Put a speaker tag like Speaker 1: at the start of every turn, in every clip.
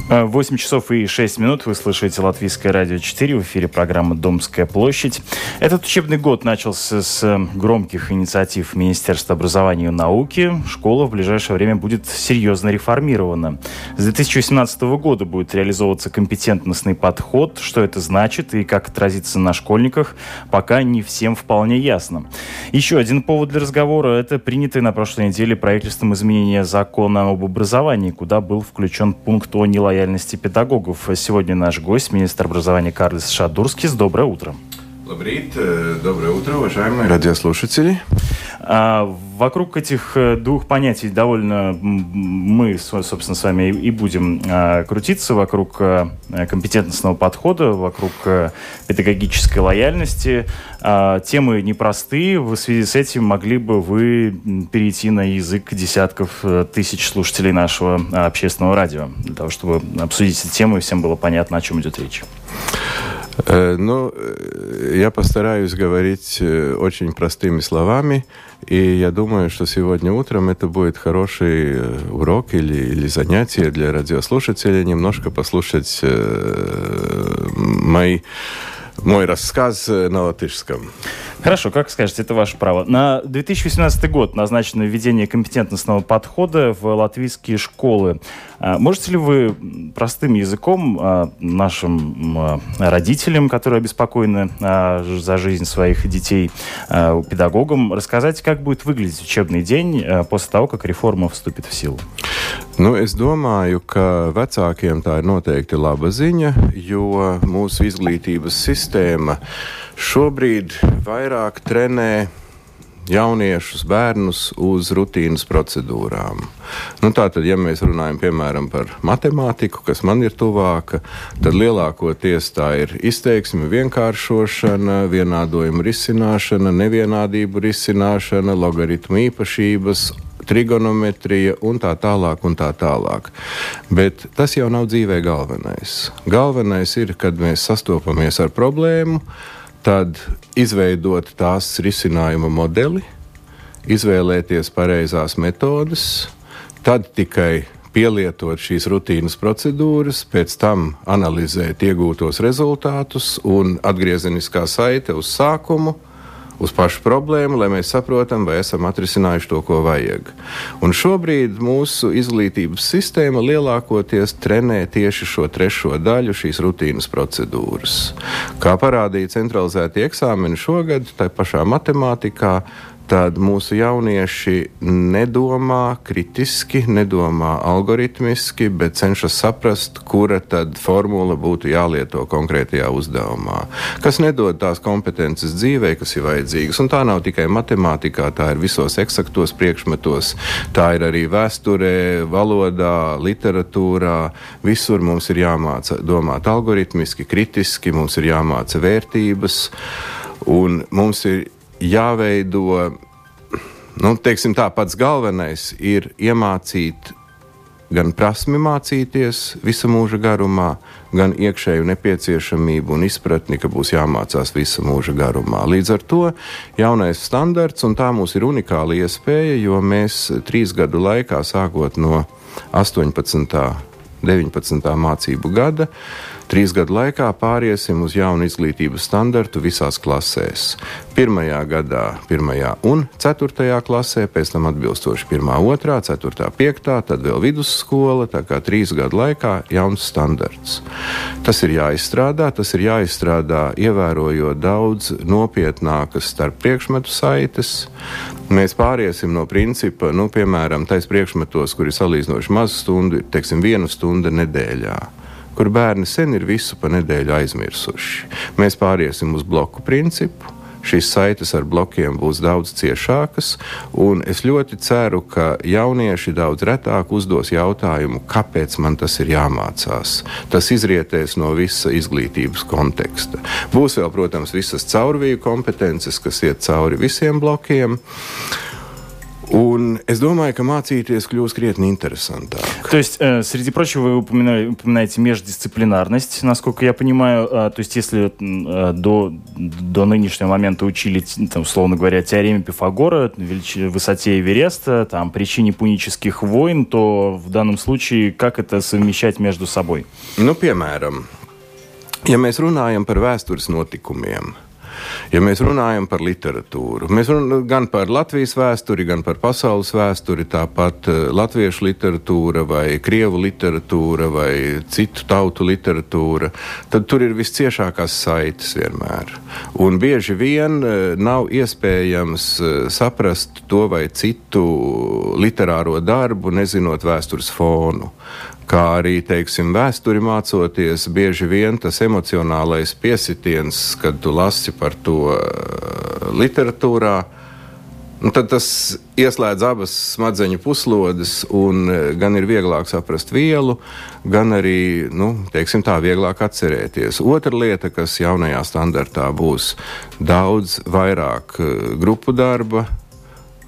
Speaker 1: 8 часов и 6 минут. Вы слышите Латвийское радио 4. В эфире программа «Домская площадь». Этот учебный год начался с громких инициатив Министерства образования и науки. Школа в ближайшее время будет серьезно реформирована. С 2018 года будет реализовываться компетентностный подход. Что это значит и как отразится на школьниках, пока не всем вполне ясно. Еще один повод для разговора – это принятое на прошлой неделе правительством изменение закона об образовании, куда был включен пункт о нелояльности педагогов. Сегодня наш гость, министр образования Карлис Шадурскис. Доброе утро.
Speaker 2: Доброе утро, уважаемые радиослушатели.
Speaker 1: Вокруг этих двух понятий довольно мы, собственно, с вами и будем крутиться, вокруг компетентностного подхода, вокруг педагогической лояльности. Темы непростые. В связи с этим могли бы вы перейти на язык десятков тысяч слушателей нашего общественного радио, для того, чтобы обсудить эти темы и всем было понятно, о чем идет речь?
Speaker 2: Я постараюсь говорить очень простыми словами, и я думаю, что сегодня утром это будет хороший урок или занятие для радиослушателей, немножко послушать мой рассказ на латышском.
Speaker 1: Хорошо, как скажете, это ваше право. На 2018 год назначено введение компетентностного подхода в латвийские школы. Можете ли вы простым языком нашим родителям, которые обеспокоены за жизнь своих детей, педагогам, рассказать, как будет выглядеть учебный день после того, как реформа вступит в силу?
Speaker 2: Es domāju, ka vecākiem tā ir noteikti laba ziņa, jo mūsu izglītības sistēma šobrīd vairāk trenē jauniešus, bērnus uz rutīnas procedūrām. Tātad, ja mēs runājam, piemēram, par matemātiku, kas man ir tuvāka, tad lielākoties tā ir izteiksme vienkāršošana, vienādojuma risināšana, nevienādību risināšana, logaritmu īpašības, trigonometrija un tā tālāk. Bet tas jau nav dzīvē galvenais. Galvenais ir, kad mēs sastopamies ar problēmu, tad izveidot tās risinājuma modeli, izvēlēties pareizās metodes, tad tikai pielietot šīs rutīnas procedūras, pēc tam analizēt iegūtos rezultātus un atgriezeniskā saite uz sākumu, uz pašu problēmu, lai mēs saprotam, vai esam atrisinājuši to, ko vajag. Un šobrīd mūsu izglītības sistēma lielākoties trenē tieši šo trešo daļu, šīs rutīnas procedūras. Kā parādīja centralizētie eksāmeni šogad, tai pašā matemātikā, tad mūsu jaunieši nedomā kritiski, nedomā algoritmiski, bet cenšas saprast, kura tad formula būtu jālieto konkrētajā uzdevumā. Kas nedod tās kompetences dzīvē, kas ir vajadzīgas. Un tā nav tikai matemātikā, tā ir visos eksaktos priekšmetos, tā ir arī vēsturē, valodā, literatūrā. Visur mums ir jāmāca domāt algoritmiski, kritiski, mums ir jāmāca vērtības, un mums ir jāveido, teiksim tā, pats galvenais ir iemācīt gan prasmi mācīties visa mūža garumā, gan iekšēju nepieciešamību un izpratni, ka būs jāmācās visa mūža garumā. Līdz ar to jaunais standarts, un tā mums ir unikāla iespēja, jo mēs 3 gadu laikā, sākot no 18. 19. mācību gada, 3 gadu laikā pāriesim uz jaunu izglītības standartu visās klasēs. 1. gadā 1. un 4. klasē, pēc tam atbilstoši 1., 2., 4., 5., tad vēl vidusskola, tā kā 3 gadu laikā jauns standarts. Tas ir jāizstrādā ievērojot daudz nopietnākas starp priekšmetu saites. Mēs pāriesim no principa, piemēram, tais priekšmetos, kur ir salīdzinoši maz stundu, teiksim, 1 stunda nedēļā, kur bērni sen ir visu pa nedēļu aizmirsuši. Mēs pāriesim uz bloku principu, šīs saites ar blokiem būs daudz ciešākas, un es ļoti ceru, ka jaunieši daudz retāk uzdos jautājumu, kāpēc man tas ir jāmācās. Tas izrietēs no visa izglītības konteksta. Būs vēl, protams, visas caurviju kompetences, kas iet cauri visiem blokiem. Un es думаю, ka mācīties kļūs krietni интересантāk.
Speaker 1: То есть, среди прочего, вы упоминаете междисциплинарность, насколько я понимаю. То есть, если до нынешнего момента учили, там, условно говоря, теореме Пифагора, высоте Эвереста, там, причине пунических войн, то в данном случае как это совмещать между собой?
Speaker 2: Nu, piemēram, ja mēs runājam par vēstures notikumiem, ja mēs runājam par literatūru, mēs runājam gan par Latvijas vēsturi, gan par pasaules vēsturi, tāpat latviešu literatūra vai krievu literatūra vai citu tautu literatūra, tad tur ir visciešākās saites vienmēr. Un bieži vien nav iespējams saprast to vai citu literāro darbu, nezinot vēstures fonu. Kā arī, teiksim, vēsturi mācoties, bieži vien tas emocionālais piesitiens, kad tu lasi par to literatūrā, tad tas ieslēdz abas smadzeņu puslodes un gan ir vieglāk saprast vielu, gan arī, teiksim tā, vieglāk atcerēties. Otra lieta, kas jaunajā standartā būs daudz vairāk grupu darba,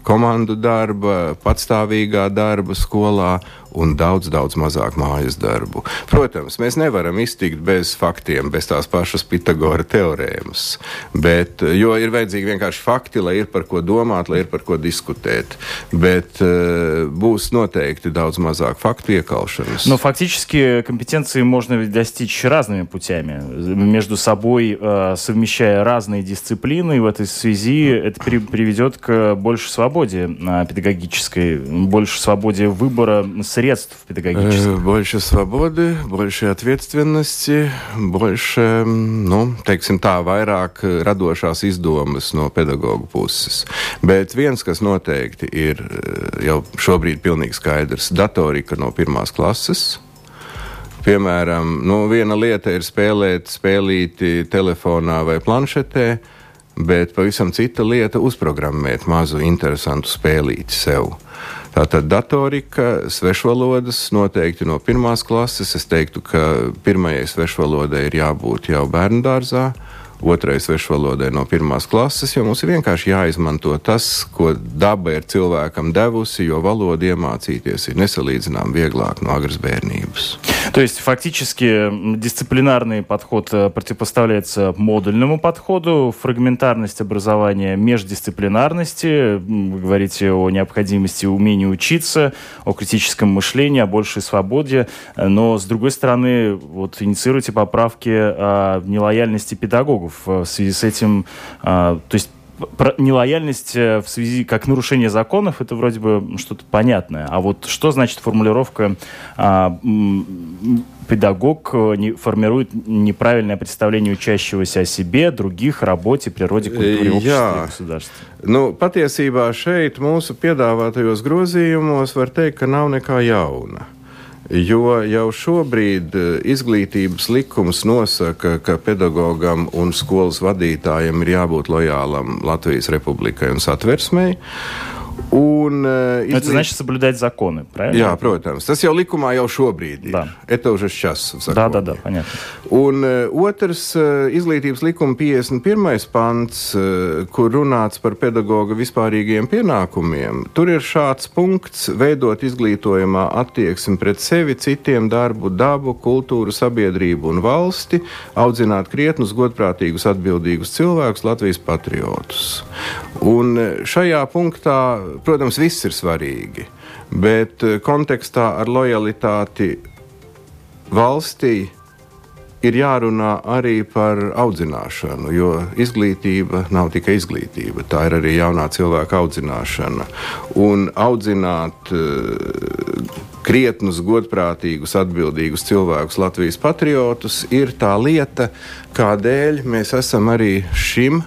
Speaker 2: komandu darba, patstāvīgā darba skolā un daudz mazāk mājas darbu. Protams, mēs nevaram iztikt bez faktiem, bez tās pašas Pitagora teorēmas, jo ir vajadzīgi vienkārši fakti, lai ir par ko domāt, lai ir par ko diskutēt, bet būs noteikti daudz mazāk факту иекалшенность.
Speaker 1: Но фактически компетенции можно ведь достичь разными путями, между собой совмещая разные дисциплины, и в этой связи это приведет к большей свободе педагогической, больше свободе выбора средств педагогических.
Speaker 2: Больше свободы, больше ответственности, больше, teiksim tā, vairāk radošās izdomas no pedagogu puses. Bet viens, kas noteikti ir jau šobrīd pilnīgi skaidrs, datorika no 1. klases. Piemēram, viena lieta ir spēlēt spēlīti telefonā vai planšetē, bet pavisam cita lieta uzprogrammēt mazu interesantu spēlīti sev. Tātad datorika, svešvalodas noteikti no 1. klases. Es teiktu, ka pirmajai svešvalodai ir jābūt jau bērndārzā, otrai svešvalodai no 1. klases, jo mums ir vienkārši jāizmanto tas, ko daba ir cilvēkam devusi, jo valodu iemācīties ir nesalīdzinām vieglāk no agras bērnības.
Speaker 1: То есть фактически дисциплинарный подход противопоставляется модульному подходу, фрагментарность образования междисциплинарности, вы говорите о необходимости умения учиться, о критическом мышлении, о большей свободе, но с другой стороны инициируйте поправки о нелояльности педагогов. В связи с этим, то есть нелояльность в связи как нарушение законов, это вроде бы что-то понятное. А вот что значит формулировка педагог формирует неправильное представление учащегося о себе, других, работе, природе, культуре, обществе и государстве?
Speaker 2: Patiesībā šeit mūsu piedāvātajos grozījumos var teikt, ka nav nekā jauna. Jo jau šobrīd izglītības likums nosaka, ka pedagogam un skolas vadītājam ir jābūt lojālam Latvijas Republikai un Satversmei.
Speaker 1: Это значит соблюдать законы, правильно?
Speaker 2: Jā, protams. Tas jau likumā jau šobrīd ir.
Speaker 1: Да.
Speaker 2: Это уже сейчас в
Speaker 1: законе. Да, понятно.
Speaker 2: Un otrs izglītības likuma 51. pants, kur runāts par pedagoga vispārīgiem pienākumiem, tur ir šāds punkts veidot izglītojumā attieksmi pret sevi, citiem, darbu, dabu, kultūru, sabiedrību un valsti, audzināt krietnus, godprātīgus, atbildīgus cilvēkus, Latvijas patriotus. Un šajā punktā, protams, viss ir svarīgi, bet kontekstā ar lojalitāti valstī ir jārunā arī par audzināšanu, jo izglītība nav tikai izglītība, tā ir arī jaunā cilvēka audzināšana. Un audzināt krietnus, godprātīgus, atbildīgus cilvēkus, Latvijas patriotus, ir tā lieta, kādēļ mēs esam arī šim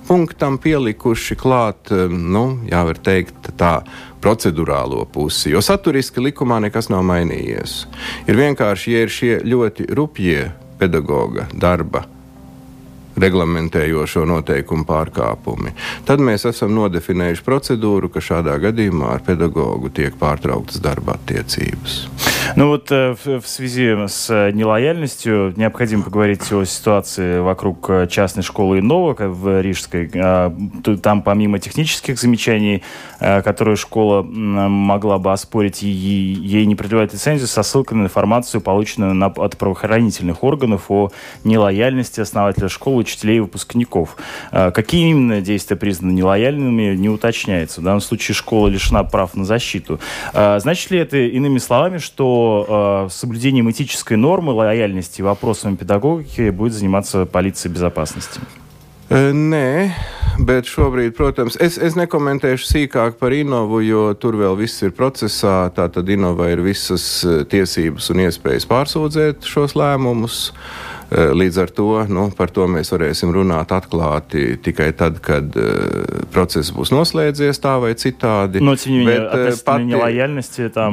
Speaker 2: punktam pielikuši klāt, var teikt, tā procedurālo pusi, jo saturiski likumā nekas nav mainījies. Ir vienkārši, ja ir šie ļoti rupjie pedagoga darba reglamentējošo noteikumu pārkāpumi. Tad mēs esam nodefinējuši procedūru, ka шаdā гадījumā ar педагогу tiek pārtrauktas darba attiecības.
Speaker 1: Ну вот в связи с нелояльностью необходимо поговорить о ситуации вокруг частной школы Иннова в Рижской. Там помимо технических замечаний, которые школа могла бы оспорить, ей не продлевают лицензию со ссылкой на информацию, полученную от правоохранительных органов о нелояльности основателя школы, учителей и выпускников. Какие именно действия признаны нелояльными, не уточняется. В данном случае школа лишена прав на защиту. Значит ли это, иными словами, что соблюдением этической нормы лояльности и вопросами педагогики будет заниматься полиция безопасности?
Speaker 2: Nē, bet šobrīd, protams, es nekomentēšu sīkāk par Innovu, jo tur vēl viss ir procesā. Tātad Innova ir visas tiesības un iespējas pārsūdzēt šos lēmumus. Līdz ar to, par to mēs varēsim runāt atklāti tikai tad, kad process būs noslēdzies tā vai citādi.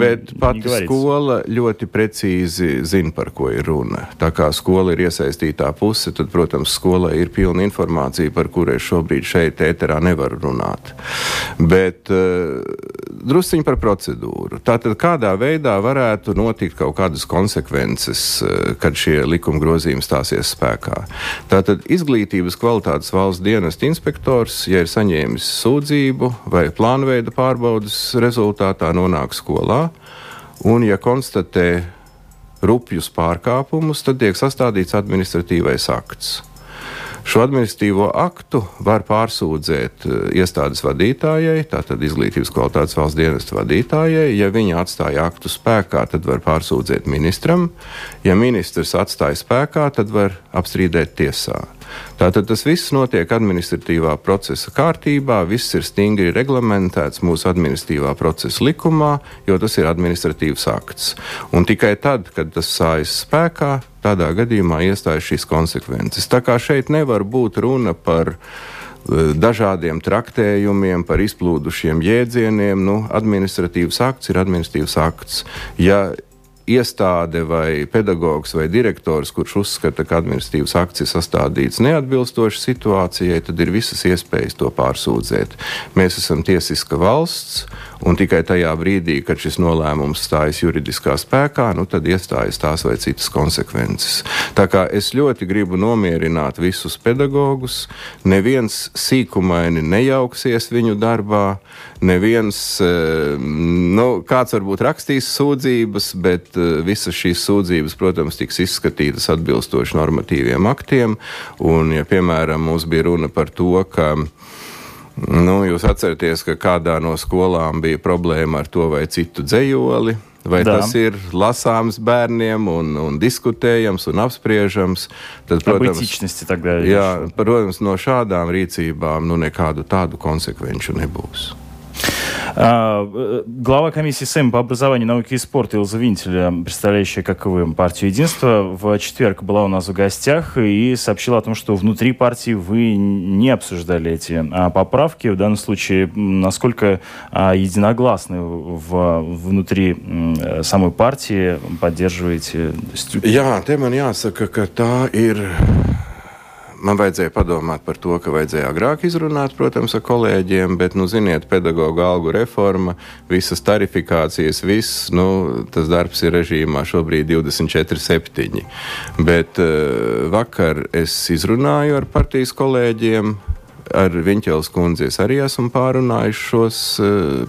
Speaker 2: Bet pati skola ļoti precīzi zina, par ko ir runa. Tā kā skola ir iesaistītā puse, tad, protams, skolai ir pilna informācija, par kuru es šobrīd šeit ēterā nevaru runāt. Bet drusciņi par procedūru. Tātad kādā veidā varētu notikt kaut kādas konsekvences, kad šie likuma grozījumi stāsies spēkā. Tātad izglītības kvalitātes valsts dienesta inspektors, ja ir saņēmis sūdzību vai plānveida pārbaudas rezultātā nonāk skolā, un ja konstatē rupjus pārkāpumus, tad tiek sastādīts administratīvais akts. Šo administratīvo aktu var pārsūdzēt iestādes vadītājai, tātad izglītības kvalitātes valsts dienesta vadītājai. Ja viņa atstāja aktu spēkā, tad var pārsūdzēt ministram. Ja ministrs atstāja spēkā, tad var apstrīdēt tiesā. Tātad tas viss notiek administratīvā procesa kārtībā, viss ir stingri reglamentēts mūsu administratīvā procesa likumā, jo tas ir administratīvs akts. Un tikai tad, kad tas stājas spēkā, tādā gadījumā iestājas šīs konsekvences. Tā kā šeit nevar būt runa par dažādiem traktējumiem, par izplūdušiem jēdzieniem. Administratīvs akts ir administratīvs akts. Ja iestāde vai pedagogs vai direktors, kurš uzskata, ka administratīvs akts ir sastādīts neatbilstoši situācijai, tad ir visas iespējas to pārsūdzēt. Mēs esam tiesiska valsts, un tikai tajā brīdī, kad šis nolēmums stājas juridiskā spēkā, tad iestājas tās vai citas konsekvences. Tā kā es ļoti gribu nomierināt visus pedagogus, neviens sīkumaini nejauksies viņu darbā, neviens, kāds varbūt rakstīs sūdzības, bet visas šīs sūdzības, protams, tiks izskatītas atbilstoši normatīviem aktiem, un, ja, piemēram, mums bija runa par to, ka jūs atceraties, ka kādā no skolām bija problēma ar to vai citu dzejoli, vai tas ir lasāms bērniem un diskutējams un apspriežams, tad, protams, no šādām rīcībām nekādu tādu konsekvenču nebūs.
Speaker 1: Глава комиссии СЭМ по образованию, науке и спорту Илза Винтель, представляющая, как и вы, партию «Единство», в четверг была у нас в гостях и сообщила о том, что внутри партии вы не обсуждали эти поправки. В данном случае, насколько единогласны внутри самой партии поддерживаете?
Speaker 2: Jā, te man jāsaka, ka tā ir. Man vajadzēja padomāt par to, ka vajadzēja agrāk izrunāt, protams, ar kolēģiem, bet, ziniet, pedagoģa algu reforma, visas tarifikācijas, tas darbs ir režīmā šobrīd 24/7. Bet vakar es izrunāju ar partijas kolēģiem, ar Viņķeles kundzi es arī esmu pārunājis šos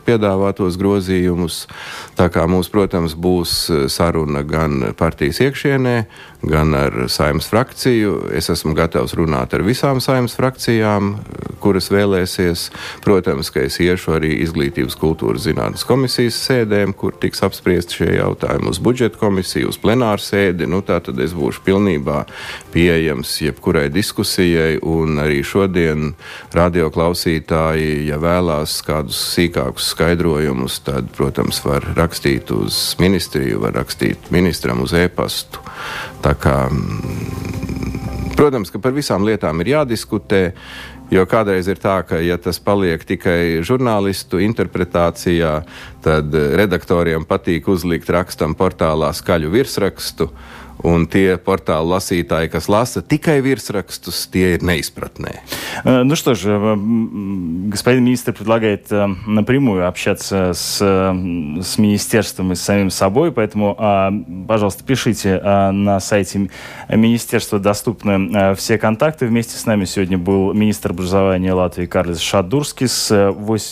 Speaker 2: piedāvātos grozījumus. Tā kā mums, protams, būs saruna gan partijas iekšienē, gan ar Saeimas frakciju. Es esmu gatavs runāt ar visām Saeimas frakcijām, kuras vēlēsies. Protams, ka es iešu arī izglītības kultūras zinātnes komisijas sēdēm, kur tiks apspriesti šie jautājumi, uz budžeta komisiju, uz plenāru sēdi. Tātad es būšu pilnībā pieejams jebkurai diskusijai, un arī šodien radioklausītāji, ja vēlās kādus sīkākus skaidrojumus, tad, protams, var rakstīt uz ministriju, var rakstīt ministram uz e-pastu. Tā kā, protams, ka par visām lietām ir jādiskutē, jo kādreiz ir tā, ka, ja tas paliek tikai žurnālistu interpretācijā, tad redaktoriem patīk uzlikt rakstam portālā skaļu virsrakstu, Un tie portālu lasītāji, kas lasa tikai virsrakstus, tie ir неизпратные.
Speaker 1: Ну что же, господин министр предлагает напрямую общаться с министерством и с самим собой, поэтому, пожалуйста, пишите на сайте министерства, доступны все контакты. Вместе с нами сегодня был министр образования Латвии Карлис Шадурскис.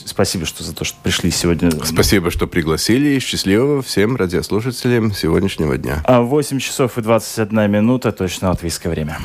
Speaker 1: Спасибо за то, что пришли сегодня.
Speaker 2: Спасибо, что пригласили, и счастливого всем радиослушателям сегодняшнего дня.
Speaker 1: 8 часов и 21 минута, точно латвийское время.